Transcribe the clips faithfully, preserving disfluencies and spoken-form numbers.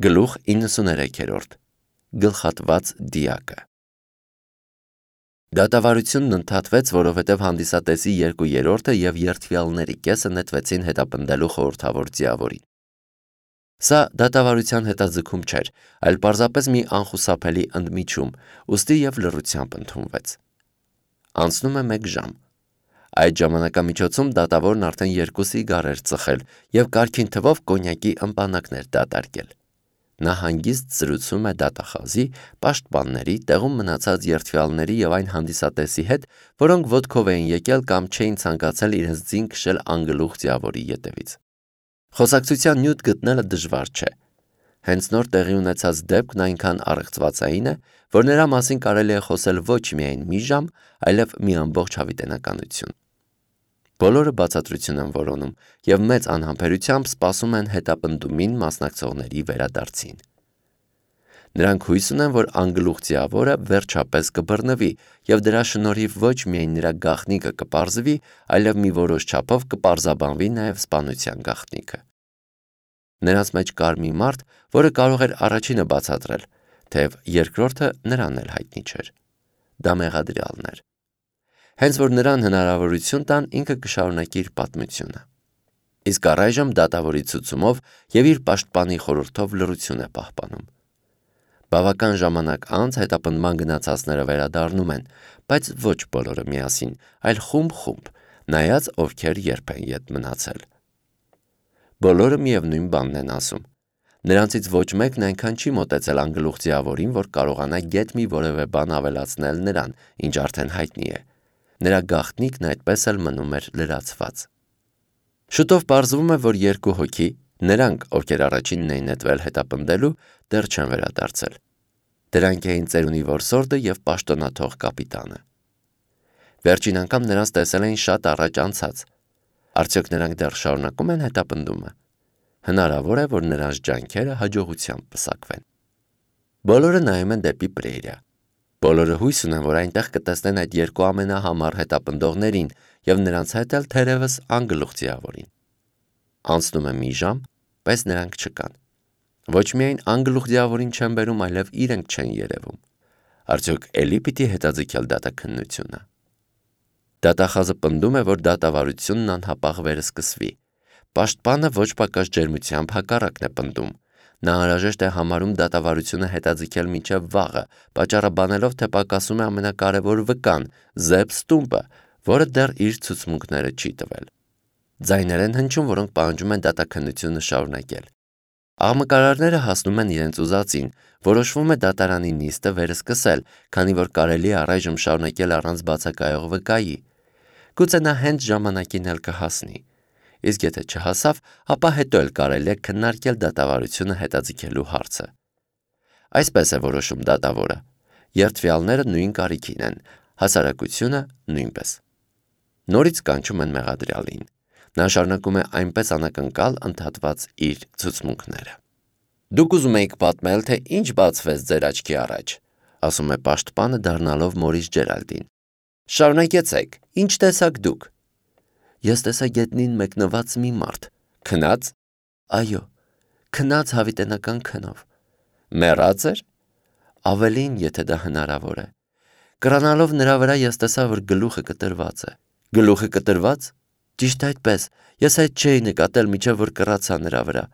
Գլուխ իննսուներեքերորդ Գլխատված դիակը Դատավարությունն ընդհատվեց, որովհետև հանդիսատեսի երկու երրորդը և երդվյալների կեսը նետվեցին հետապնդելու խորհրդավոր ձիավորին։ Սա դատավարության հետաձգում չէր, այլ պարզապես մի անխուսափելի ընդմիջում, ուստի և լռությամբ ընդունվեց։ Անցնում է մեկ ժամ։ Այդ ժամանակամիջոցում դատավորն արդեն երկու սիգար էր ծխել և կարգին թվով կոնյակի ըմպանակներ դատարկել։ Նա հանգիստ զրուցում է դատախազի, պաշտպանների, տեղում մնացած երդվյալների և այն հանդիսատեսի հետ, որոնք ոտքով էին եկել կամ չէին ցանկացել իրենց ձին քշել անգլուխ ձիավորի ետևից։ Խոսակցության նյութ գտնելը դժվար չէ։ Հենց նոր տեղի ունեցած դեպքն այնքան առեղծվածային է, որ նրա մասին կարելի է խոսել ոչ միայն մի ժամ, այլև մի ամբողջ հավիտենականություն։ Բոլորը բացատրություն են որոնում և մեծ անհամբերությամբ սպասում են հետապնդումին մասնակցողների վերադարձին։ Նրանք հույս ունեն, որ անգլուխ ձիավորը վերջապես կբռնվի և դրա շնորհիվ ոչ միայն նրա գաղտնիքը կպարզվի, այլև մի որոշ չափով կպարզաբանվի նաև սպանության գաղտնիքը։ Նրանց մեջ կար մի մարդ, որը կարող էր առաջինը բացատրել, թեև երկրորդը նրան էլ հայտնի չէր։ Դա մեղադրյալն էր։ Հենց որ նրան հնարավորություն տան, ինքը կշարունակի իր պատմությունը։ Իսկ առայժմ դատավորի ցուցումով և իր պաշտպանի խորհրդով լռություն է պահպանում։ Բավական ժամանակ անց հետապնդման գնացածները վերադառնում են, բայց ոչ բոլորը միասին, այլ խումբ-խումբ, նայած ովքեր երբ են ետ մնացել։ Բոլորը միևնույն բանն են ասում։ Նրանցից ոչ մեկն այնքան չի մոտեցել անգլուխ ձիավորին, որ կարողանա գետ մի որևէ բան ավելացնել նրան, ինչ արդեն հայտնի է։ Նրա գաղտնիքն այդպես էլ մնում էր լրացված։ Շուտով պարզվում է, որ երկու հոգի, նրանք, ովքեր առաջինն էին նետվել հետապնդելու, դեռ չեն վերադարձել։ Դրանք էին ծերունի որսորդը և պաշտոնաթող կապիտանը։ Վերջին անգամ նրանց տեսել էին շատ առաջ անցած։ Արդյոք նրանք դեռ շարունակում են հետապնդումը։ Հնարավոր է, որ նրանց ջանքերը հաջողությամբ պսակվեն։ Բոլորը նայում են դեպի Պրեյրա։ Բոլորը հույս ունեն, որ այնտեղ կտեսնեն այդ երկու ամենահամառ հետապնդողներին և նրանց հետ էլ թերևս անգլուխ ձիավորին։ Անցնում է մի ժամ, բայց նրանք չկան։ Ոչ միայն անգլուխ ձիավորին չեն բերում, այլև իրենք չեն երևում։ Արդյոք էլի պիտի հետաձգել դատաքննությունը։ Դատախազը պնդում է, որ դատավարությունն անհապաղ վերսկսվի։ Պաշտպանը ոչ պակաս ջերմությամբ հակառակն է պնդում։ Նա անհրաժեշտ է համարում դատավարությունը հետաձգել մինչև վաղը, պատճառաբանելով, թե պակասում է ամենակարևոր վկան՝ Զեբ Ստումպը, որը դեռ իր ցուցմունքները չի տվել։ Ձայներ են հնչում, որոնք պահանջում են դատաքննությունը շարունակել։ Աղմկարարները հասնում են իրենց ուզածին, որոշվում է դատարանի նիստը վերսկսել, քանի որ կարելի է առայժմ շարունակել առանց բացակայող վկայի։ Գուցե նա հենց ժամանակին էլ կհասնի։ Իսկ եթե չհասավ, ապա հետո էլ կարելի է քննարկել դատավարությունը հետաձգելու հարցը։ Այսպես է որոշում դատավորը։ Երդվյալները նույն կարիքին են, հասարակությունը նույնպես։ Նորից կանչում են մեղադրյալին։ Նա շարունակում է այնպես անակնկալ ընդհատված իր ցուցմունքները։ Դուք ուզում եք պատմել, թե ինչ բացվեց ձեր աչքի առաջ, ասում է պաշտպանը դառնալով Մորիս Ջերալդին։ Շարունակեցեք, ինչ տեսաք դուք։ Ես տեսա գետնին մեկնված մի մարդ։ Քնա՞ծ։ Այո, քնած հավիտենական քնով։ Մեռած էր։ Ավելին, եթե դա հնարավոր է։ Կրանալով նրա վրա ես տեսա, որ գլուխը կտրված է։ Գլուխը կտրված։ Ճիշտ այդպես, ես այդ չէի նկատել, մինչև որ կռացա նրա վրա։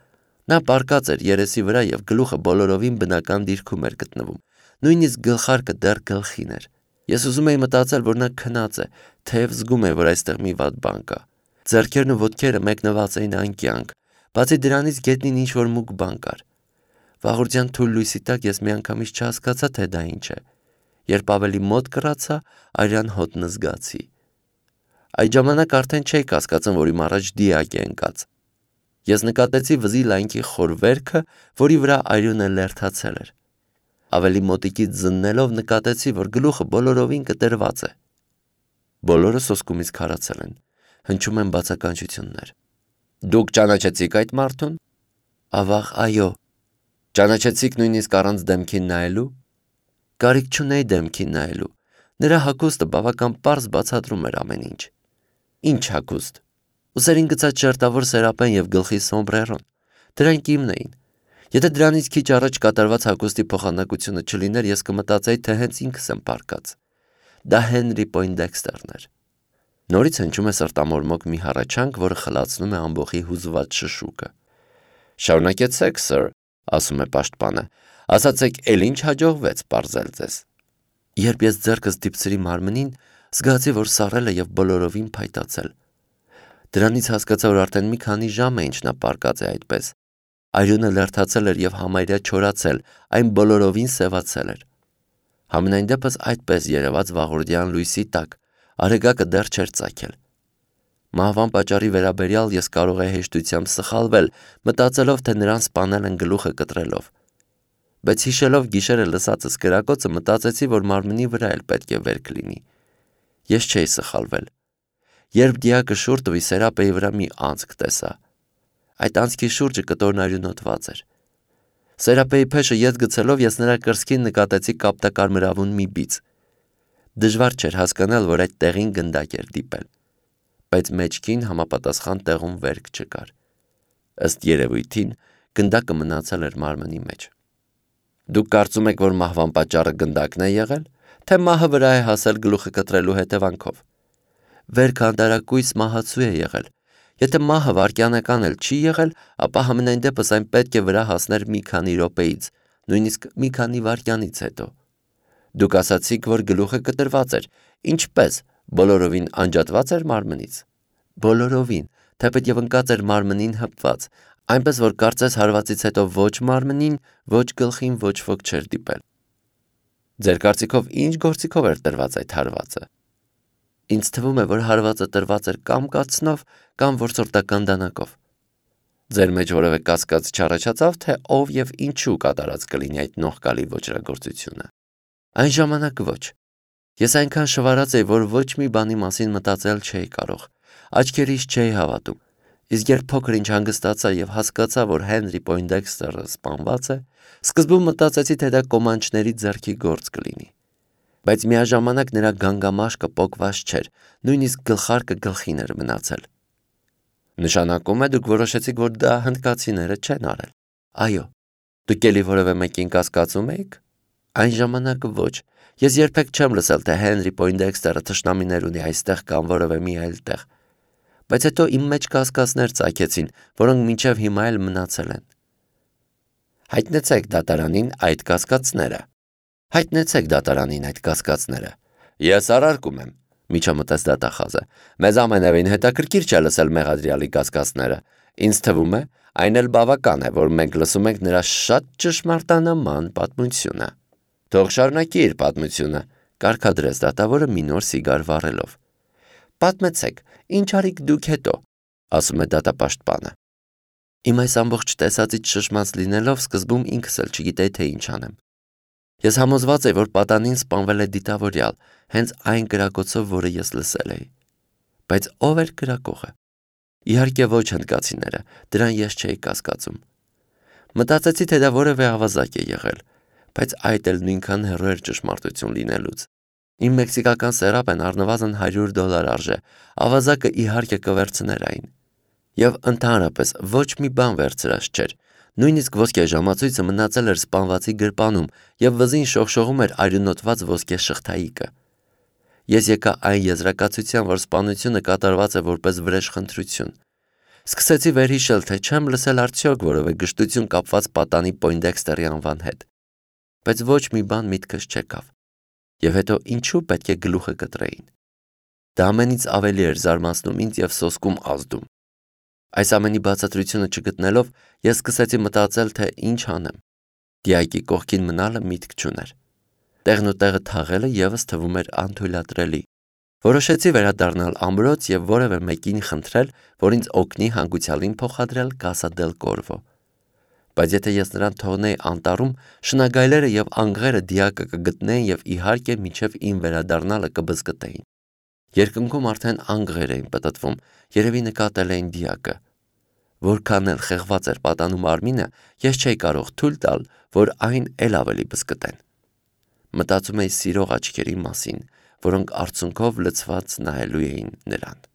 Նա պառկած էր երեսի վրա և գլուխը բոլորովին բնական դիրքում էր գտնվում։ Նույնիսկ գլխարկը դեռ գլխին էր։ Ես ուզում էի մտածել, որ նա քնած է, թեև զգում էի, որ այստեղ մի վատ բան կա։ Ձեռքերն ու ոտքերը մեկնված էին անկյանք, բացի դրանից գետնին ինչ-որ մուգ բան կար։ Վաղուրջյան թույլ լույսի տակ ես միանգամից չհասկացա, թե դա ինչ է։ Երբ ավելի մոտ կռացա, արյան հոտն զգացի։ Այդ ժամանակ արդեն չէի կասկածում, որ իմ առաջ դիակ է ընկած։ Ես նկատեցի վզի լայնքի խոր վերքը, որի վրա արյունը լերդացել էր։ Ավելի մոտիկից զննելով նկատեցի, որ գլուխը բոլորովին կտրված է։ Բոլորը սոսկումից քարացել են, հնչում են բացականչություններ։ Դուք ճանաչեցիք այդ մարդուն։ Ավաղ, այո։ Ճանաչեցիք նույնիսկ առանց դեմքին նայելու։ Կարիք չունեի դեմքին նայելու։ Նրա հագուստը բավական պարզ բացատրում էր ամեն ինչ։ Ինչ հագուստ։ Ուսերին գցած շերտավոր սերապեն և գլխի սոմբրերոն։ Դրանք իմն էին։ Եթե դրանից քիչ առաջ կատարված հագուստի փոխանակությունը չլիներ, ես կմտածեի, թե հենց ինքս եմ պարկած։ Դա Հենրի Պոյնդեքստերն էր։ Նորից հնչում է սրտամորմոք մի հառաչանք, որը խլացնում է ամբողջի հուզված շշուկը։ Շարունակեցեք, սըր, ասում է պաշտպանը, ասացեք, էլ ինչ հաջողվեց պարզել ձեզ։ Երբ ես ձեռքս դիպցրի մարմնին, զգացի, որ սառել է եւ բոլորովին փայտացել։ Դրանից հասկացա, որ արդեն մի քանի ժամ է ինչ նա պարկած է այդպես։ Արյունը լերթացել էր եւ համարյա չորացել, այն բոլորովին սևացել էր։ Համենայն դեպս այդպես երևաց վաղորդյան լույսի տակ, արեգակը դեռ չէր ծագել։ Մահվան պատճառի վերաբերյալ ես կարող էի հեշտությամբ սխալվել, մտածելով, թե նրան սպանել են գլուխը կտրելով։ Բայց հիշելով գիշերը լսածս կրակոցը, մտածեցի, որ մարմնի վրա էլ պետք է վերք լինի։ Ես չէի սխալվել։ Երբ դիակը շուռ տվի, սերապեի վրա մի անցք տեսա։ Այդ անցքի շուրջը կտորն արյունոտված էր։ Սերապեի փեշը ետ գցելով ես նրա կրծքին նկատեցի կապտակարմրավուն մի բիծ։ Դժվար չէր հասկանալ, որ այդ տեղին գնդակ էր դիպել, բայց մեջքին համապատասխան տեղում վերք չկար։ Ըստ երևույթին գնդակը մնացել էր մարմնի մեջ։ Դուք կարծում եք, որ մահվան պատճառը գնդակն է եղել, թե մահը վրա է հասել գլուխը կտրելու հետևանքով։ Վերքը անտարակույս մահացու է եղել։ Եթե մահը վայրկյանական էլ չի եղել, ապա համենայն դեպս այն պետք է վրա հասներ մի քանի րոպեից, նույնիսկ մի քանի վայրկյանից հետո։ Դուք ասացիք, որ գլուխը կտրված էր, ինչպես, բոլորովին անջատված էր մարմնից։ Բոլորովին, թեպետև ընկած էր մարմնին հպված, այնպես որ կարծես հարվածից հետո ոչ մարմնին, ոչ գլխին ոչ ոք չէր դիպել։ Ձեր կարծիքով ինչ գործիքով էր տրված այդ հարվածը։ Ինձ թվում է, որ հարվածը տրված էր կամ կացնով, կամ որսորդական դանակով։ Ձեր մեջ որևէ կասկած չառաջացավ, թե ով եւ ինչու կատարած կլինի այդ նողկալի ոճրագործությունը։ Այն ժամանակ ոչ։ Ես այնքան շվարած էի, որ ոչ մի բանի մասին մտածել չէի կարող, աչքերիս չէի հավատում։ Իսկ երբ փոքր ինչ հանգստացա եւ հասկացա, որ Հենրի Պոյնդեքստերը սպանված է, սկզբում մտածեցի, թե դա կոմանչների ձեռքի գործ կլինի։ Բայց միաժամանակ նրա գանգամաշկը պոկված չէր, նույնիսկ գլխարկը գլխին էր մնացել։ Նշանակում է դուք որոշեցիք, որ դա հնդկացիները չեն արել։ Այո։ Դուք էլի որևէ մեկին կասկածում եք։ Այն ժամանակ ոչ։ Ես երբեք չեմ լսել, թե Հենրի Պոյնդեքստերը թշնամիներ ունի այստեղ կամ որևէ մի այլ տեղ։ Բայց հետո իմ մեջ կասկածներ ծագեցին, որոնք մինչև հիմա էլ մնացել են։ Հայտնեցեք դատարանին այդ կասկածները։ Հայտնեցեք դատարանին այդ կասկածները։ Ես արարկում եմ, միջամտեց դատախազը։ Մեզ ամենևին հետաքրքիր չէ լսել մեղադրյալի կասկածները։ Ինձ թվում է, այն էլ բավական է, որ մենք լսում ենք նրա շատ ճշմարտանման պատմությունը։ Թող շարունակի իր պատմությունը, կարգադրեց դատավորը մի նոր սիգար վառելով։ Պատմեցեք, ինչ արիք դուք հետո, ասում է դատապաշտպանը։ Իմ այս ամբողջ տեսածից շշմած լինելով սկզբում ինքս էլ չգիտեի, թե ինչ անեմ։ Ես համոզված էի, որ պատանին սպանվել է դիտավորյալ, հենց այն կրակոցով, որը ես լսել էի։ Բայց ով էր կրակողը։ Իհարկե ոչ հնդկացիները, դրան ես չէի կասկածում։ Մտածեցի, թե դա որևէ ավազակ է եղել, բայց այդ էլ նույնքան հեռու էր ճշմարտություն լինելուց։ Իմ մեքսիկական սերապեն առնվազն հարյուր դոլար արժե, ավազակը իհարկե կվերցներ այն։ Եվ ընդհանրապես ոչ մի բան վերցրած չէր, նույնիսկ ոսկե ժամացույցը մնացել էր սպանվածի գրպանում եւ վզին շողշողում էր արյունոտված ոսկե շղթայիկը։ Ես եկա այն եզրակացության, որ սպանությունը կատարված է որպես վրեժխնդրություն։ Սկսեցի վերհիշել, թե չեմ լսել արդյոք որևէ գժտություն կապված պատանի Պոյնդեքստերի անվան հետ։ Բայց ոչ մի բան միտքս չեկավ։ Եվ հետո ինչու պետք է գլուխը կտրեին։ Դա ամենից ավելի էր զարմացնում ինձ եւ սոսկում ազդում։ Այս ամենի բացատրությունը չգտնելով, ես սկսեցի մտածել, թե ինչ անեմ։ Դիակի կողքին մնալը միտք չուներ։ Տեղն ու տեղը թաղելը եւս թվում էր անթույլատրելի։ Որոշեցի վերադառնալ ամրոց եւ որևէ մեկին խնդրել, որ ինձ օգնի հանգուցյալին փոխադրել Կասա դել Կորվո։ Բայց եթե ես նրան թողնեի անտառում, շնագայլերը եւ անգղերը դիակը կգտնեին եւ իհարկե մինչեւ իմ վերադառնալը կբզկտեին։ Երկնքում արդեն անգղեր էին պտտվում, երևի նկատել էին դիակը։ Որքան էլ խեղված էր պատանու մարմինը, ես չէի կարող թույլ տալ, որ այն էլ ավելի բզկտեն։ Մտածում էի սիրող աչքերի մասին, որոնք արցունքով լցված նայելու էին նրան։